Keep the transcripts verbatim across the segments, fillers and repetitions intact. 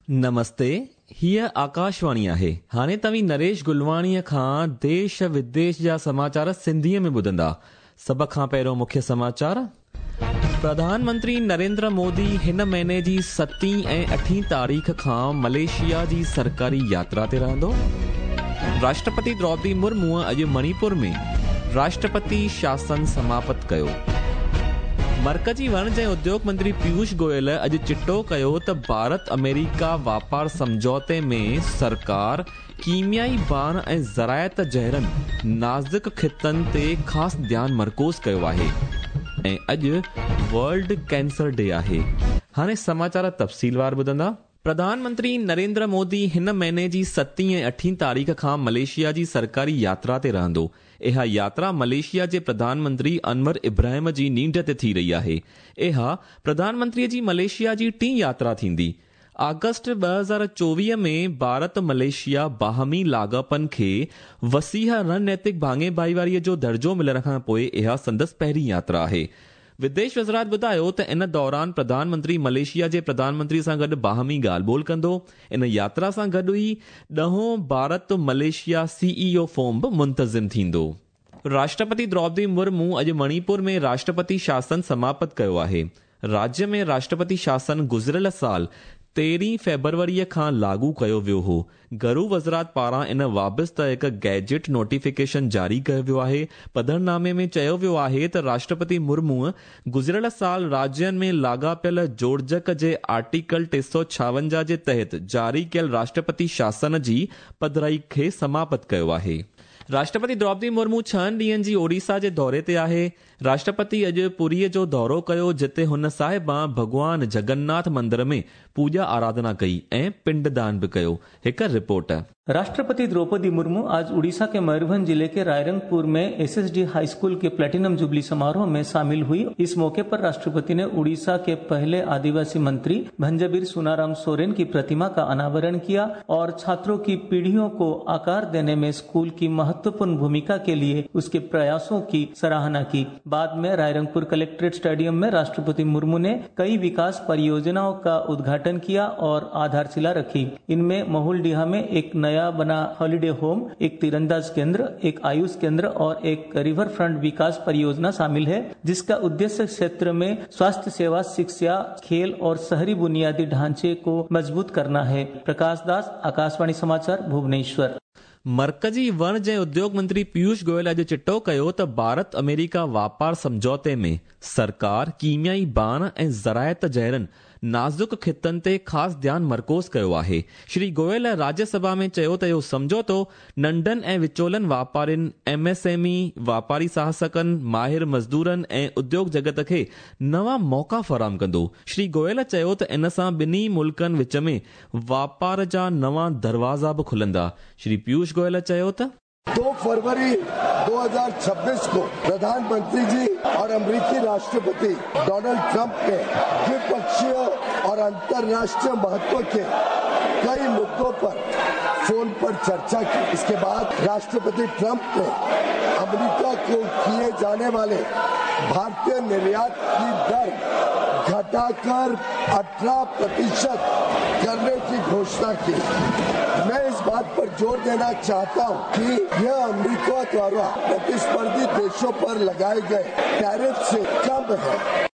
नमस्ते, हीअ आकाशवाणी आहे। हाणे तव्हीं नरेश गुलवाणीअ खां देश विदेश जा समाचार सिंधीअ में ॿुधंदा। सभ खां पहिरियों मुख्य समाचार। प्रधानमंत्री नरेंद्र मोदी हिन महीने जी सतीं ऐं अठीं तारीख़ खां मलेशिया जी सरकारी यात्रा ते रहंदो। राष्ट्रपति द्रौपदी मुर्मू अॼु मणिपुर में राष्ट्रपति शासन समाप्त कयो। मर्कजी वणज ऐं उद्योग मंत्री पीयूष गोयल अॼु चिटो कयो त भारत अमेरिका वापार सम्झौते में सरकार कीमियाई बाण ऐं ज़रायत जहिड़नि नाज़ुक ख़ितनि ते ख़ासि ध्यानु मरकूज़ कयो आहे। ऐं अॼु वर्ल्ड कैंसर डे आहे। हाणे समाचार तफ़सीलवार ॿुधंदा। प्रधानमंत्री नरेंद्र मोदी हिन महीने जी सतीं ऐं अठीं तारीख़ खां मलेशिया जी सरकारी यात्रा ते रहंदो। इहा यात्रा मलेशिया जे प्रधानमंत्री अनवर इब्राहिम जी नींड ते थी रही आहे। इहा प्रधानमंत्रीअ जी मलेशिया जी टीं यात्रा थींदी। आगस्ट ॿ हज़ार चोवीह में भारत मलेशिया बाहमी लाॻापनि खे वसीह रणनैतिक भाङे भाईवारीअ जो दर्जो मिलण खां पोइ इहा संदसि पहिरीं यात्रा आहे। विदेश वज़ारत ॿुधायो त इन दौरान प्रधानमंत्री मलेशिया जे प्रधानमंत्री सां गॾु बाहमी ॻाल्हि ॿोल कंदो। इन यात्रा सां गॾु ई ॾहों भारत मलेशिया सीईओ फोरम बि मुंतज़िम थींदो। राष्ट्रपति द्रौपदी मुर्मू अॼु मणिपुर में राष्ट्रपति शासन समाप्त कयो आहे। राज्य में राष्ट्रपति शासन गुज़िरियल साल तेरहीं फ़ेब्रुवरीअ खां लागू कयो वियो हो। घरू वज़ारत पारां इन वाबस्ता हिकु गैजेट नोटिफिकेशन जारी कयो वियो आहे। पधरनामे में चयो वियो आहे त राष्ट्रपति मुर्मू गुज़िरियल साल राज्यनि में लाॻापियल जोड़जक जे आर्टिकल टे सौ छावंजाह जे तहत जारी कयल राष्ट्रपति शासन जी पधराई खे समाप्त कयो आहे। राष्ट्रपति द्रौपदी मुर्मू छहनि ॾींहनि जी ओडिशा जे दौरे ते आहे। राष्ट्रपति अॼु पुरीअ जो दौरो कयो, जिते हुन साहिबा भॻवान जगन्नाथ मंदिर में पूॼा आराधना कई ऐं पिंडदान बि कयो। हिकु रिपोर्ट। राष्ट्रपति द्रौपदी मुर्मू आज उड़ीसा के मयूरभंज जिले के रायरंगपुर में एसएसडी हाई स्कूल के प्लेटिनम जुबली समारोह में शामिल हुई। इस मौके पर राष्ट्रपति ने उड़ीसा के पहले आदिवासी मंत्री भंजबीर सुनाराम सोरेन की प्रतिमा का अनावरण किया और छात्रों की पीढ़ियों को आकार देने में स्कूल की महत्वपूर्ण भूमिका के लिए उसके प्रयासों की सराहना की। बाद में रायरंगपुर कलेक्ट्रेट स्टेडियम में राष्ट्रपति मुर्मू ने कई विकास परियोजनाओं का उद्घाटन किया और आधारशिला रखी। इनमें महुलडीहा में एक नया बना हॉलिडे होम, एक तीरंदाज केंद्र, एक आयुष केंद्र और एक रिवर फ्रंट विकास परियोजना शामिल है, जिसका उद्देश्य क्षेत्र में स्वास्थ्य सेवा, शिक्षा, खेल और शहरी बुनियादी ढांचे को मजबूत करना है। प्रकाश दास, आकाशवाणी समाचार, भुवनेश्वर। मर्कजी वणज ऐं उद्योग मंत्री पीयूष गोयल अॼु चिटो कयो त भारत अमेरिका वापार सम्झौते में सरकार कीमियाई बाण ऐं ज़रायत जहिड़नि नाज़ुक ख़ितनि ते ख़ासि ध्यानु मरकूज़ कयो आहे। श्री गोयल राज्यसभा में चयो त इहो सम्झौतो नंढनि ऐं विचोलनि वापारियुनि, एम एस एम ई, वापारी साहसिकनि, माहिर मज़दूरनि ऐं उद्योग जगत खे नवां मौक़ा फराहम कंदो। श्री गोयल चयो त इन सां ॿिन्ही मुल्कनि विच में वापार जा नवां दरवाज़ा बि खुलंदा। श्री पीयूष गोयल चयो त दो फरवरी दो हज़ार छब्बीस को प्रधानमंत्री जी और अमेरिकी राष्ट्रपति डोनाल्ड ट्रंप ने द्विपक्षीय और अंतर्राष्ट्रीय महत्व के कई मुद्दों पर फोन पर चर्चा की। इसके बाद राष्ट्रपति ट्रंप ने अमेरिका को किए जाने वाले भारतीय निर्यात की दर घटाकर अठारह प्रतिशत करने की घोषणा की। मैं इस बात पर जोर देना चाहता हूं कि यह अमेरिका द्वारा प्रतिस्पर्धी देशों पर लगाए गए टैरिफ से कम है।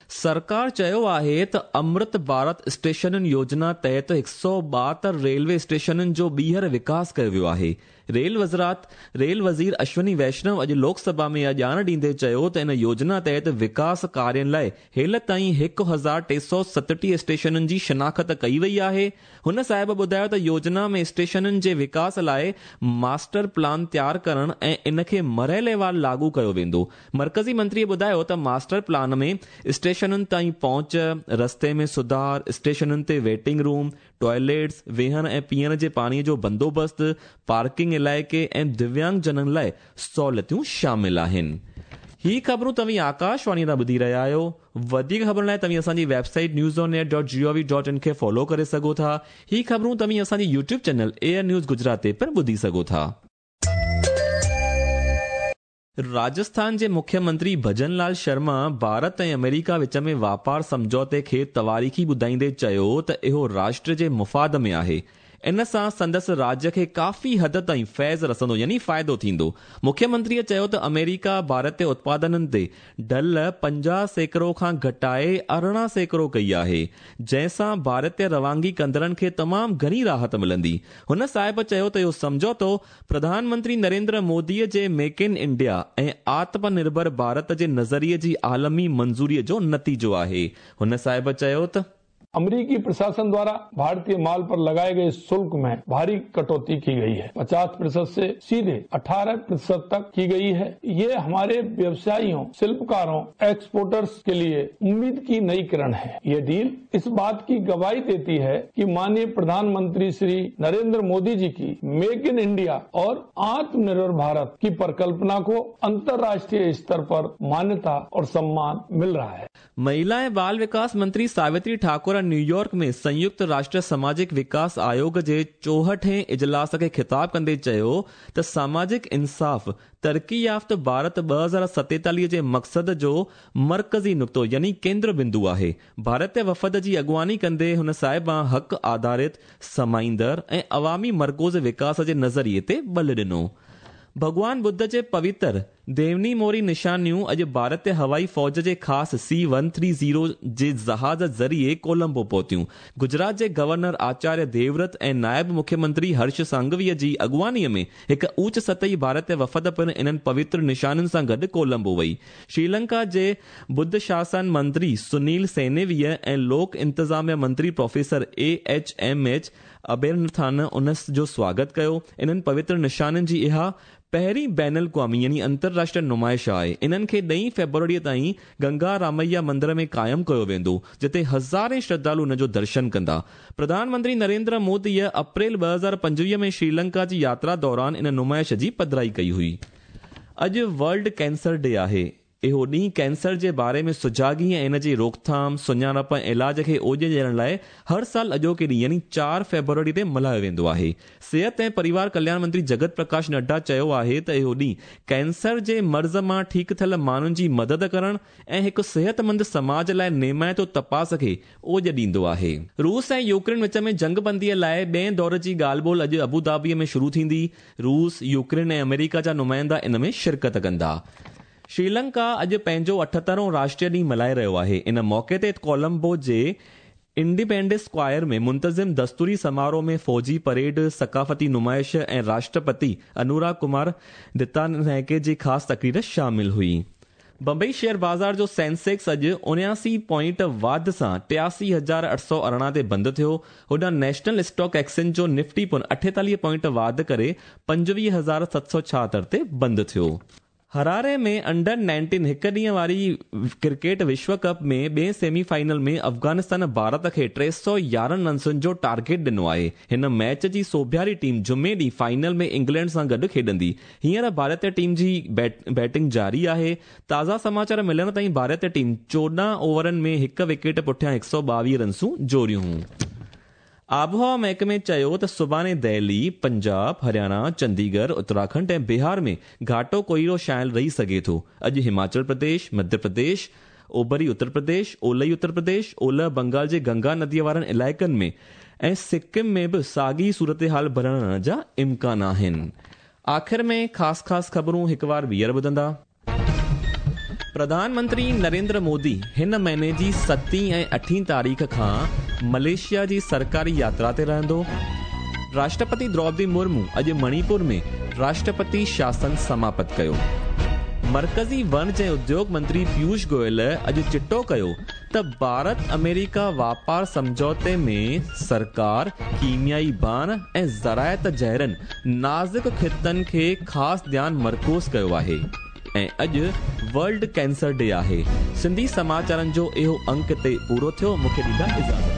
सरकार चयो आहे त अमृत भारत स्टेशनुनि योजना तहत हिकु सौ ॿाहतरि रेलवे स्टेशनुनि जो ॿीहर विकास कयो वियो आहे। रेल वज़ारत रेल वज़ीर अश्विनी वैष्णव अॼु लोकसभा में इहा ॼाण ॾींदे चयो त इन योजना तहत विकास कार्यनि लाइ हेल ताईं हिकु हज़ार टे सौ सतटीह स्टेशनुनि जी शनाख़्त कई वई आहे। हुन साहिब ॿुधायो त योजना में स्टेशनुनि जे विकास लाइ मास्टर प्लान तयारु करण ऐं इन खे मरहलेवार लागू कयो वेंदो। मर्कज़ी मंत्रीअ ॿुधायो त मास्टर प्लान में स्टेशनुनि ताईं पहुंच, रस्ते में सुधार, स्टेशनुनि ते वेटिंग रूम, टॉयलेट्स, वेहण ऐं पीअण जे पाणीअ जो बंदोबस्तु, पार्किंग इलाइक़े ऐं दिव्यांग जननि लाइ सहूलियतूं शामिल आहिनि। ही ख़बरूं तव्हीं आकाशवाणी तां ॿुधी रहिया आहियो। वधीक ख़बरुनि लाइ तव्हीं असांजी website news on air dot G O V dot in खे फॉलो करे सघो था। ही ख़बरूं तव्हीं असांजी YouTube channel air news Gujarat ते पिणु ॿुधी सघो था। राजस्थान जे मुख्यमंत्री भजन लाल शर्मा भारत ऐं अमेरिका विच में वापार सम्झौते खे तवारीख़ी ॿुधाईंदे चयो त इहो राष्ट्र जे मुफ़ाद में आहे। इन सां संदसि राज्य खे काफ़ी हद ताईं फैज़ रसंदो यानी फ़ाइदो थींदो। मुख्यमंत्रीअ चयो त अमेरिका भारत उत्पादननि ते ढल पंजाह सैकड़ो खां घटाए अरिड़हं सैकड़ो कई आहे, जंहिंसां भारतीय रवानगी कंदड़नि खे तमामु घणी राहत मिलंदी। हुन साहिब चयो त इहो सम्झौतो प्रधानमंत्री नरेंद्र मोदीअ जे मेक इन इंडिया ऐं आत्मनिर्भर भारत जे नज़रिए जी आलमी मंज़ूरीअ जो नतीजो आहे। हुन साहिब चयो त अमेरिकी प्रशासन द्वारा भारतीय माल पर लगाए गए शुल्क में भारी कटौती की गई है। पचास प्रतिशत से सीधे अठारह प्रतिशत तक की गई है। ये हमारे व्यवसायियों, शिल्पकारों, एक्सपोर्टर्स के लिए उम्मीद की नई किरण है। ये डील इस बात की गवाही देती है कि माननीय प्रधानमंत्री श्री नरेंद्र मोदी जी की मेक इन इंडिया और आत्मनिर्भर भारत की परिकल्पना को अंतर्राष्ट्रीय स्तर पर मान्यता और सम्मान मिल रहा है। महिला ऐं बाल विकास मंत्री सावित्री ठाकुर न्यूयॉर्क में संयुक्त राष्ट्र सामाजिक विकास आयोग जे चोहठें इजलास खे ख़िताब कंदे चयो त सामाजिक इंसाफ़ तरक़ी याफ़्त भारत ॿ हज़ार सतेतालीह जे मक़सद जो मर्कज़ी नुक़्तो यानी केंद्र बिंदु आहे। भारतीय वफ़द जी अॻुवानी कंदे हुन साहिबा हक़ आधारित, समाईंदड़ ऐं अवामी मरकूज़ विकास जे नज़रिए ते बल ॾिनो। भॻवान बुद्ध जे पवित्र देवनी मोरी निशानियूं अॼु भारतीय हवाई फ़ौज जे ख़ासि सी वन थ्री ज़ीरो जे जहाज़ ज़रिए कोलंबो पहुतियूं। गुजरात जे गवर्नर आचार्य देवव्रत ऐं नायब मुख्यमंत्री हर्ष सांघवीअ जी अॻुवानीअ में हिकु ऊच सतही भारतीय वफ़द पिणु इन्हनि पवित्र निशानियुनि सां गॾु कोलंबो वई। श्रीलंका जे बुद्ध शासन मंत्री सुनील सेनेवीअ ऐं लोक इंतज़ामिया मंत्री professor A H M H Abeywardena उन जो स्वागत कयो। इन्हनि पवित्र निशानियुनि जी इहा पहिरीं बैनुल क़ौमी यानी अंतरराष्ट्रीय नुमाइश आहे। इन्हनि खे ॾहीं फ़ेब्रुअरीअ ताईं गंगा रामैया मंदिर में क़ाइमु कयो वेंदो, जिते हज़ारे श्रद्धालु उन जो दर्शन कंदा। प्रधानमंत्री नरेंद्र मोदीअ अप्रैल ॿ हज़ार पंजवीह में श्रीलंका जी यात्रा दौरान इन नुमाइश जी पधराई कई हुई। अॼु वर्ल्ड कैंसर डे आहे। इहो ॾींहुं कैंसर जे बारे में सुजागी ऐं इन जी रोकथाम, सुञाणप ऐं इलाज खे ओॼ ॾियण लाइ हर साल अॼोके ॾींहुं यानी चारि फ़ेब्रुअरी ते मल्हायो वेंदो आहे। सिहत ऐं परिवार कल्याण मंत्री जगत प्रकाश नड्डा चयो आहे त इहो ॾींहुं कैंसर जे मर्ज़ मां ठीकु थियल माण्हुनि जी मदद करण ऐं हिकु सिहतमंद समाज लाइ नेमाइतो तपास खे ओॼ ॾींदो आहे। रूस ऐं यूक्रेन विच में जंगबंदीअ लाइ ॿिए दौर जी ॻाल्हि ॿोल अॼु अबूधाबीअ में शुरू थींदी। रूस, यूक्रेन ऐं अमेरिका जा नुमाइंदा इन में शिरकत कंदा। श्रीलंका अॼु पंहिंजो अठहतरों राष्ट्रीय ॾींहुं मल्हाए रहियो आहे। इन मौक़े ते कोलंबो जे इंडिपेंडेंस स्क्वायर में मुंतज़िम दस्तूरी समारोह में फ़ौजी परेड, सकाफ़ती नुमाइश ऐं राष्ट्रपति अनुराग कुमार दित्तानायके जी ख़ासि तकरीर शामिल हुई। बंबई शेयर बाज़ार जो सेंसेक्स अॼु उणियासी पॉइंट वाध सां टियासी हज़ार अठ सौ अरिड़हं ते बंदि थियो। होॾां नेशनल स्टॉक एक्सचेंज जो निफ्टी पिणु अठेतालीह पॉइंट वाध करे पंजवीह हज़ार सत सौ छाहतरि ते बंदि थियो। हरारे में अंडर नाइनटीन हिकु ॾींहं वारी क्रिकेट विश्व कप में ॿिए सेमीफाइनल में अफ़गानिस्तान भारत खे टे सौ यारहं रन्सुनि जो टारगेट ॾिनो आहे। हिन मैच जी सोभियारी टीम जुमे ॾींहुं फाइनल में इंग्लैंड सां गॾु खेॾंदी। हींअर भारतीय टीम जी बैटिंग जारी आहे। ताज़ा समाचार मिलण ताईं भारतीय टीम चोॾहं ओवरनि में हिकु विकेट पुठियां हिकु सौ ॿावीह रन्सूं जोड़ियूं। आबहवा महकमे चयो त सुभाणे दिल्ली, पंजाब, हरियाणा, चंडीगढ़, उत्तराखंड ऐं बिहार में घाटो कोहिरो छायल रही सघे थो। अॼु हिमाचल प्रदेश, मध्य प्रदेश, ओभरी उत्तर प्रदेश, ओलही उत्तर प्रदेश, ओलह बंगाल जे गंगा नदीअ वारनि इलाइक़नि में ऐं सिक्किम में बि साॻी सूरत हाल बणियण जा इम्कान आहिनि। आख़िर में ख़ासि ख़ासि ख़बरूं हिकु बार ॿीहर ॿुधंदा। प्रधानमंत्री नरेंद्र मोदी हिन महीने जी सतीं ऐं अठीं तारीख़ खां मलेशिया जी सरकारी यात्रा ते रहंदो। राष्ट्रपति द्रौपदी मुर्मू अॼु मणिपुर में राष्ट्रपति शासन समाप्त कयो। मर्कज़ी वणज ऐं उद्योग मंत्री पीयूष गोयल अॼु चिटो कयो त भारत अमेरिका वापार सम्झौते में सरकार कीमियाई बाण ऐं ज़रायत जहिड़नि नाज़ुक ख़ितनि खे ख़ासि ध्यानु मरकूज़ कयो आहे। ऐं अॼु वर्ल्ड कैंसर डे आहे। सिंधी समाचारनि जो इहो अंक ते पूरो थियो। मूंखे ॾींदा इजाज़त।